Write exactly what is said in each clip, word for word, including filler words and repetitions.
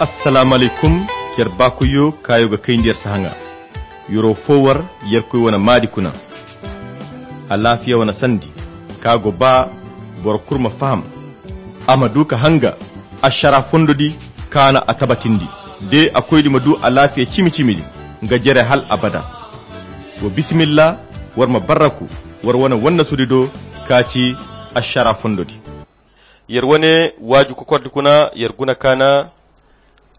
Assalaamu alaykum. Yer baakoyyo kaayo ga kayndi yer sahaŋa. Yer'o fo war yerkoy wane maadi kuna. Alaafiya wane sandi ka go ba boro kulu ma faham, a ma du ka hanga ašara fondo di kaana a tabatindi. De a koydi ma du alaafiya cimi-cimi di nga jere hal abada. Wa bisimilla, war ma barraku war wane wannasudi do ka ci ašara fondo di. Yer wane waaju kokordi kuna yer guna kaana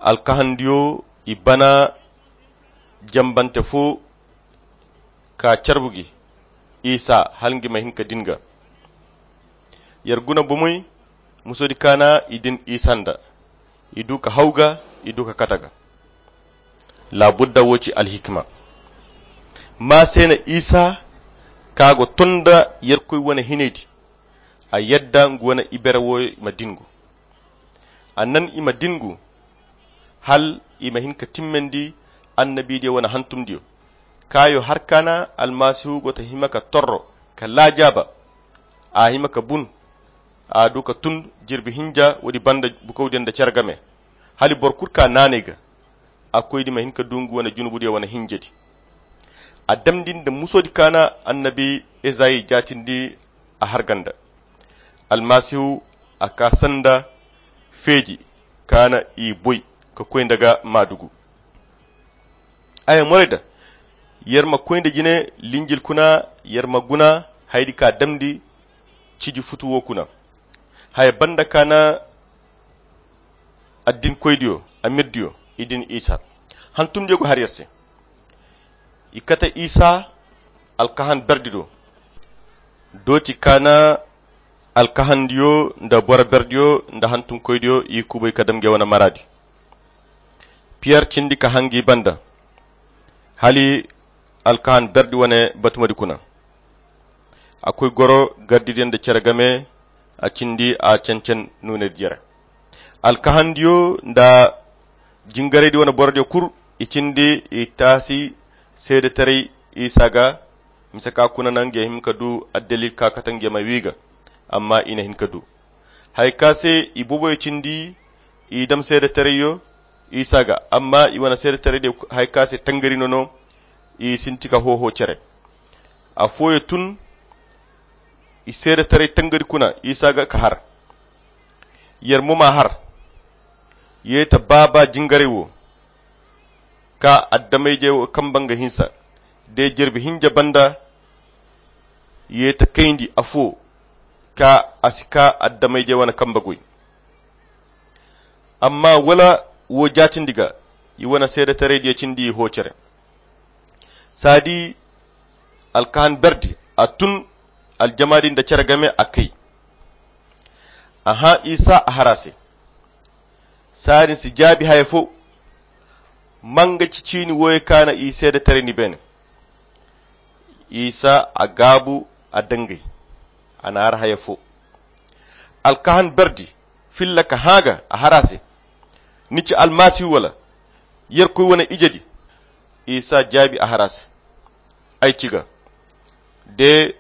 alkahandiyo i bana jambante fo ka carbu gi isa hala ngi ma hin ka din ga. Yer guna bomoy musodi kaana i din isa nda i du ka haw ga i du ka kata ga. Laabudda wo ci alhikima. Ma se na isa ka go ton nda yerkoy wane hinay di a yadda ngu wane ibere wo ma dingu. A nan i ma dingu hal i ma hin ka timmandi annabidiyo wane hantumdiyo. Kaayo har kaana almasihu go ta hima ka torro ka laajaaba a hima ka bun a du ka tun jirbi hinja woodi banda bukawdiyo nda cere game. Hala boro kulu ka naanay ga a koydi ma hin ka du ngu wane junubudiyo wane hinjadi. A damndi nda musodi kaana annabi ezayi jaatindi a har ganda. Almasihu a ka sanda feeji kaana i boy ka koy nda ga maadugu. Aya morayda yer ma koy nda jine linjil kuna yer ma guna haydi ka damndi ciji futu wo kuna. Haya banda kaana addinkoydiyo amirdiyo i din isa hantumdiyo go har yer se. I kate isa alkahan berdi do dooti kaana alkahandiyo nda boro berdiyo nda hantumkoydiyo i kubay ka dam nge wane maraadi. Piyer cindi ka hangi banda hali alkahan berdi wane batumadi kuna. A koy goro gardidiyo nda cere game a cindi a cancan nuunedi jere. Alkahandiyo nda jingaraydi wane borodiyo kul i cindi i taasi seedetaray isa ga. Mise ka kuna na nge hin ka du addalil ka kate nge ma wi ga amma i na hin ka du. Haya ka se i boboyo cindi i dam seedetarayyo isa ga amma i wane seedetaraydiyo haya ka se tangari no no i sinti ka hoho cere. Afooyo tun i seedetaray tangari kuna isa ga ka har. Yer mo ma har ye ta baaba jingaray wo ka addamaydiyo kamba nga hinsa de jirbi hinja banda ye ta kayndi afo ka a si ka addamaydiyo wane kamba goy. Amma wala wo jaatindi ga i wane seedetaraydiyo cindi i hoo cere. Saadi alkahan berdi a tun aljamaadi nda cere game a kay. Aha isa a har a se. Saadin si jaabi haya fo. Manga ci ciini wooyo kaana i seedetaray ni beene. Isa a gaabu a dangay a na har haya fo. Alkahan berdi filla ka hã ga a har a se. Ni ci almasihu wala yerkoy wane ijedi? Isa jaabi a har a se. Ay ci ga de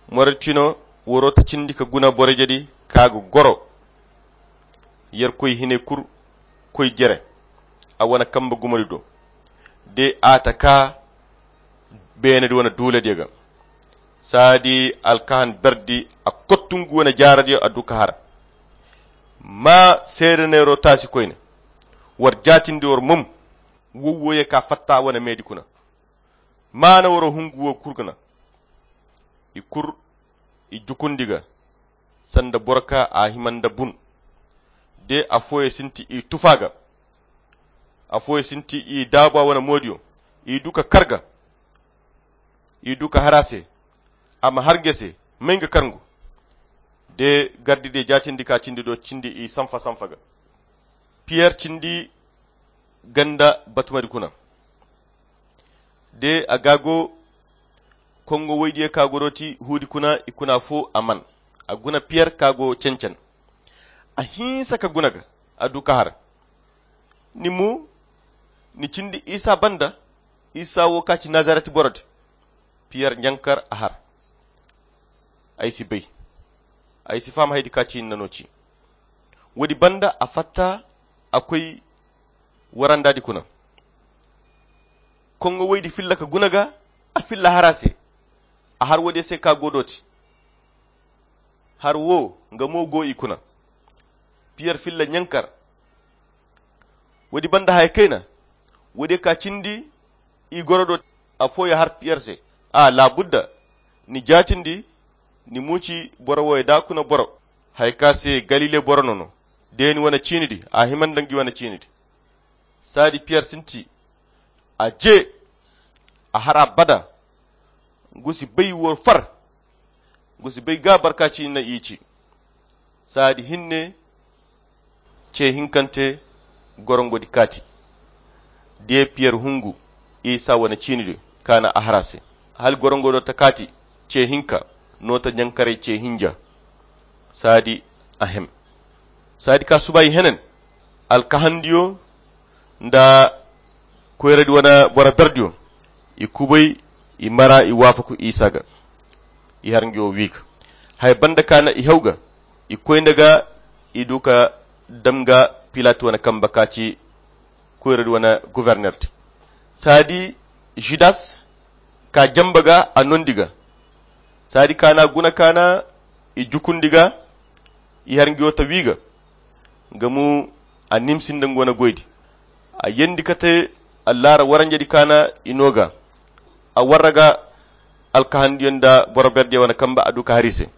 morotino woro ta cindi ka guna borojedi ka ga goro yerkoy hinay kul koy jere a wane kamba gumadi do de a ta ka beenedi wane duuladiyo ga. Saadi alkahan berdi a kottu ngu wane jaaradiyo a du ka har. Ma seedaneero taasi koyne war jaatindi war mom. Wowwoye ka fatta wane meedi kuna maana waro hungu wo kul gana. I kul i jukundi ga sanda boro ka a hima nda bun. De afooyo sinti i tufa ga afooyo sinti i daabu a wane moodiyo. I du ka kar ga i du ka har a se. A ma har nge se may nga kar ngu. De gardidiyo jaatindi ka cindi do cindi i sanfa sanfa ga. Piyer cindi ganda batumadi kuna de a ga go kongo woydiyo ka go dooti huudi kuna i kuna fo a man. A guna piyer ka go cancan a hinsa ka guna ga a du ka har. Ni mo ni cindi isa banda isa wo ka ci nazaret borodi. Piyer ɲankar a har. Ay si bay ay si faham haydi ka ci ni na no ci. Woodi banda a fatta a koy warandaadi kuna. Koŋŋo woydi filla ka guna ga, a filla har a se. A har woodiyo se ka go dooti. Har wo nga mo go i kuna. Piyer filla ɲankar. Woodi banda haya kayna. Woodiyo ka cindi i goro dooti. Afooyo har piyer se, a laabudda ni jaatindi. Ni muuci boro wooyo da kuna boro. Haya ka se galile boro no no. De ni wane ciinidi a hima nda ngi wane ciinidi. Saadi piyer sinti. A je. A har abada. Ngu si bay woo far. Ngu si bay ga barka ciini na i ci. Saadi hinne. Ce hinkante. Gorongodi kaati. De piyer hungu isa wane ciinidi. Kaana a har a se. Hala gorongodo ta kaati. Ce hinka. No ta ɲankaray ce hinja. Saadi a hem. Saadi ka suba i henen. Alkahandiyo nda koyradi wane boro berdiyo. I kubay. I mara i waafaku isa ga. I har ngi wo wi ga. Haya banda kaana i haw ga. I koy nda ga. I du ka dam ga pilat wane kamba ka ci koyradi wane governer di. Saadi judas ka jamba ga a nondi ga. Saadi kaana guna kaana i jukundi ga. I har ngi wo ta wi ga. Nga mu a nimsi nda nga wane goydi. A yendi kate allaara waranjedi kaana i no ga. A warra ga alkahandiyo nda boro berdiyo wane kamba a du ka har i se.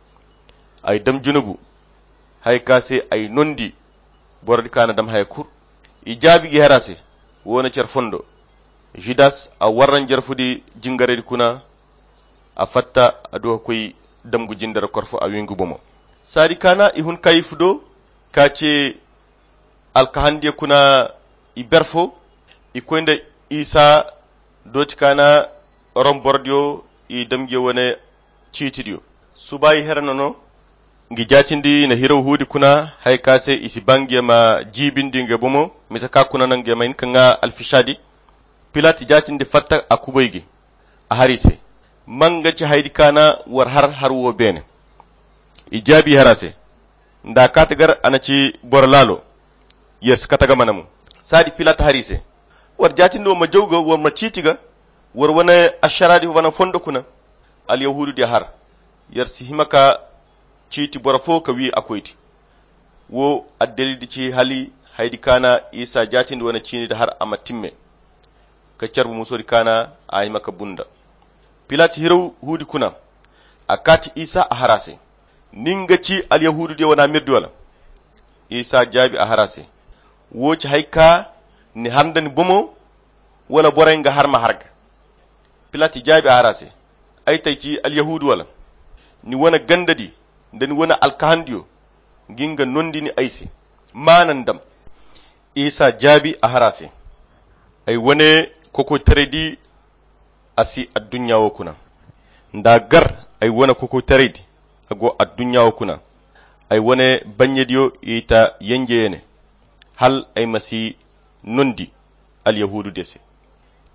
Ay dam junubu. Haya ka se ay nondi. Borodi kaana dam haya kul. I jaabi gi har a se. Wo na care fondo. Judas a warra njarfudi jingaraydi kuna. A fatta a du ka koy damgu jindara kor fo a wi ngu bomo. Saadi kaana i hun kayifu do ka ce alkahandiyo kuna. I ber fo i koy nda isa dooti kaana rom borodiyo i damgiyo wane ciitidiyo. Suba i here no no. Ngi jaatindi na hiraw huudi kuna haya ka se i si ba ngiyo ma jiibindi ngiyo bomo. Mise ka kuna no ngiyo ma hin ka ŋaa alfisaadi. Pilat jaatindi fatta a kubay gi. A har i se. Manga ci haydi kaana war har har wo beene. I jaabi har a se. Nda a kaati gar a na ci boro laalo. Yer si kate ga mana mo. Saadi pilat har i se. War jaatindi wo ma jaw ga war ma ciiti ga. War wane ašaraadi wane fondo kuna. Alyahuududiyo har. Yer si hima ka ciiti boro fo ka wi a koydi. Wo addalildi ci hali haydi kaana isa jaatindi wane ciinidi har a ma timme. Ka carbu musodi kaana a hima ka bunda. Pilat hiraw huudi kuna. A kaati isa a har a se. Nin ga ci alyahuududiyo wane amirdi wala? Isa jaabi a har a se. Wo ci hay ka ni har nda ni bomo? Wala borey nga har ma har ga? Pilat jaabi a har a se. Ay tay ci alyahuudu wala? Ni wane gandadi nda ni wane alkahandiyo. Ngi nga nondi ni ay se. Maana ni dam. Isa jaabi a har a se. Ay wane kokoytaraydi a si adduɲɲa wo kuna. Nda a gar ay wane kokoytaraydi a go adduɲɲa wo kuna. Ay wane baɲɲediyo i ta yenje ya ne. Hala ay ma si nondi alyahuududiyo se.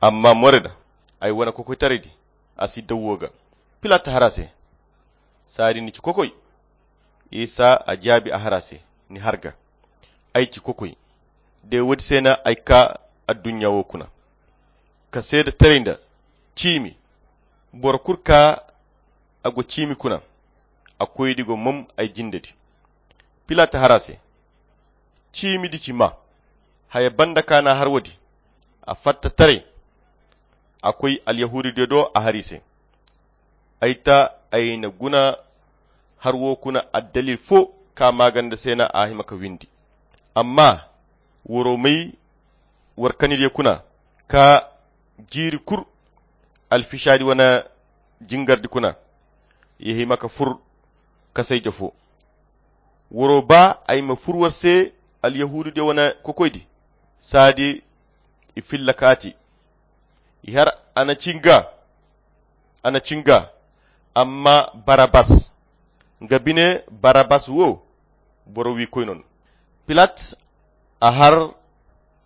Amma more da ay wane kokoytaraydi a si daw wo ga. Pilat har a se. Saadi ni ci kokoy? Isa a jaabi a har a se. Ni har ga. Ay ci kokoy. De woodi se no ay kaa adduɲɲa wo kuna ka seeda taray nda ciimi. Boro kul kaa a go ciimi kuna. A koydi go mom ay jindedi. Pilat har a se. Ciimidi ci maa. Haya banda ka n'a har woodi. A fatta taray. A koy alyahuududiyo do a har i se. Ay ta ay na guna har wo kuna addalil fo ka maaganda se no a hima ka windi. Amma woro may war kanidiyo kuna ka jiiri kul alfisaadi wane jingardi kuna. Ya hima ka fur kasayja fo. Woro ba ay ma fur war se alyahuududiyo wane kokoydi. Saadi i filla kaati. I har a na ci nga a na ci nga. Amma barabas nga bine barabas wo boro wiikoy no no. Pilat a har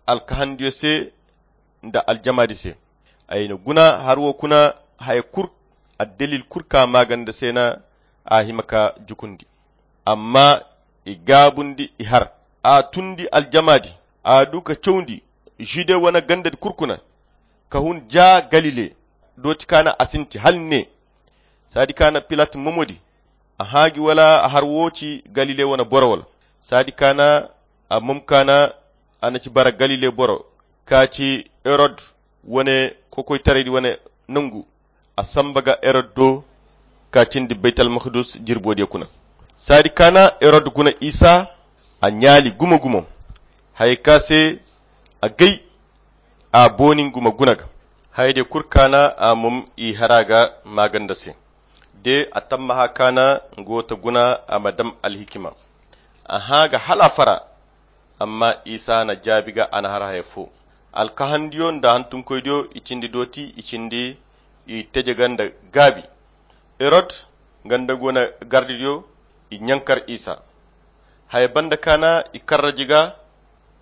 alkahandiyo se nda aljamaadi se. Ay na guna har wo kuna haya kul addalil kul ka maaganda se no a hima ka jukundi. Amma i gaabundi i har a tundi aljamaadi. A du ka cawndi Jude wane gandadi kurkuna, ka hun ja Galile, dooti kaana a sinti hala ne. Saadi kaana Pilat momodi, a hãa gi wala a har wo ci Galile wane boro wala. Saadi kaana a mom kaana a na ci bara Galile boro, ka ci Herod wane kokoytaraydi wane nangu. A samba ga Herod do, ka cindi Baytal Makdus jirbo diya kuna. Saadi kaana Herod guna Isa, a ɲaali gumo-gumo. Haya ka se a gay a booni ngu ma guna ga. Haya diya kul kaana a mom i hara ga maaganda se. De a tammaha kaana ngu ta guna a ma dam alhikima. A hãa ga hala a fara. Amma Isa na jaabi ga a na har haya fo. Alkahandiyo nda hantumkoydiyo i cindi dooti, i cindi i teje ga nda gaabi. Herod nga nda ngu wane gardidiyo i ɲankar Isa. Haya banda kaana i karraji ga,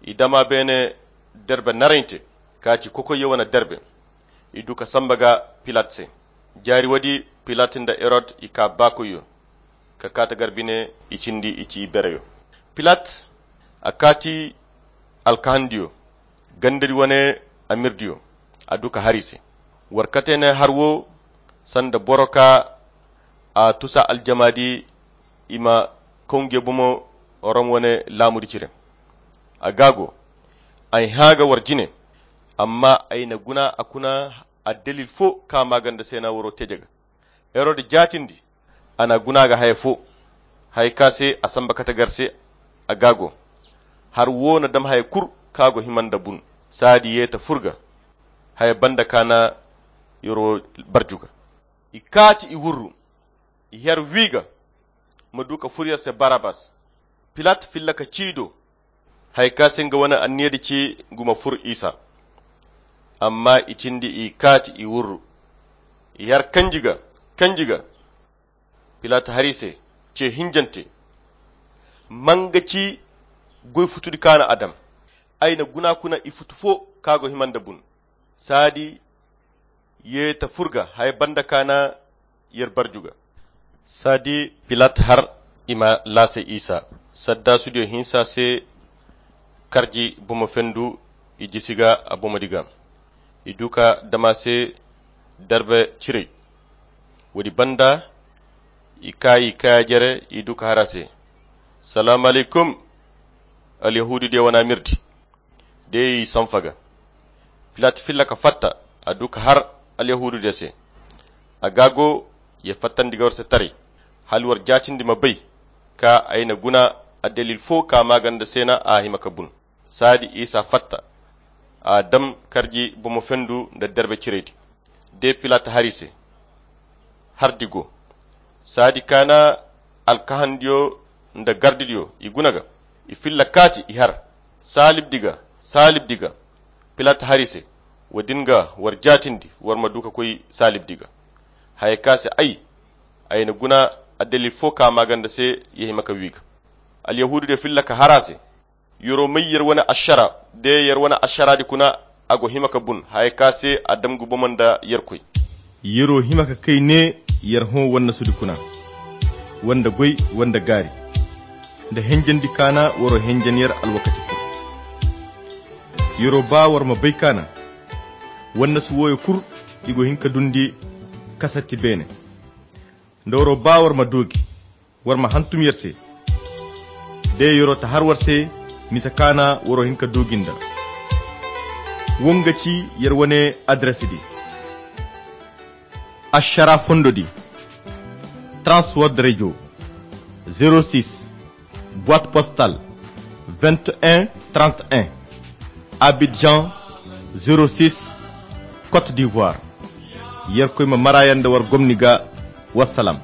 i dama beene derbe narayinte, ka ci kokoyyo wane derbe. I du ka samba ga Pilat se. Jaari woodi Pilat nda Herod i ka baakoyyo, ka kaata gar bine i cindi i ci bereyo. Pilat a kaati alkahandiyo, gandadi wane amirdiyo, a du ka har i se. War kate ne har wo sanda boro ka a tusa aljamaadi i ma kaw nge bomo Rom wane laamudi cire. A gaago, ay hãa ga war jine, amma ay na guna a kuna addalil fo ka maaganda se na waro teje ga. Herod jaatindi, a na guna ga haya fo. Haya ka se a samba kate gar se a gaago. Har wo na dam haya kul ka go hima nda bun. Saadi ye ta fur ga. Haya banda kaana yoro barju ga. I kaati i wurru. I her wi ga ma du ka fur yer se Barabas. Pilat filla ka ci do. Haya ka se nga wane anniyadi ci ngu ma fur Isa. Amma i cindi i kaati i wurru. I har kanji ga, kanji ga. Pilat har i se ce hinjante. Manga ci goy futudi kaana a dam. Ay na guna kuna i futu fo ka go hima nda bun. Saadi ye ta fur ga haya banda kaana yer barju ga. Saadi Pilat har i ma laase Isa. Saddaasudiyo hinsa se karji bomo fendu i jisi ga a bomodi ga. I du ka dam a se darbe ciray. Woodi banda i ka i kaya jere i du ka har a se. Salaamu alaykum. Alyahuududiyo wane amirdi. De i sanfa ga. Pilat filla ka fatta a du ka har alyahuududiyo se. A gaago ya fattandi ga war se taray. Hala war jaatindi ma bay ka ay na guna addalil fo ka maaganda se na a hima ka bun. Saadi Isa fatta. A dam karji bomo fendu nda darbe ciraydi. De Pilat har i se. Hardi go. Saadi kaana alkahandiyo nda gardidiyo i guna ga. I filla kaati i har. Saalibdi ga, saalibdi ga. Pilat har i se. Woodin ga war jaatindi war ma du ka koy saalibdi ga. Haya ka se ay, ay na guna addalil fo ka maaganda se ya hima ka wi ga. Alyahuududiyo filla ka har a se. Yoro may yer wane ašara. De yer wane ašaradi kuna a go hima ka bun haya ka se a dam ngu bomo nda yerkoy. Yero hima ka kay ne yer hõ wannasudi kuna, wanda goy, wanda gaari, nda henjandi kaana waro henjan yer alwakati kul. Yero ba war ma bay kaana wannasu wooyo kul i go hin ka dundi kasatti beene. Nda waro ba war ma doogi, war ma hantum yer se. De yero ta har war se, misa kaana waro hin ka doogi nda. Wo nga ci yer wane adres di. Ašara fondo di. Trans World Radio, zéro six, boîte postale vingt et un trente et un, Abidjan, zéro six, Côte d'Ivoire. Yerkoy ma mara yer nda war gomni ga. Wassalam.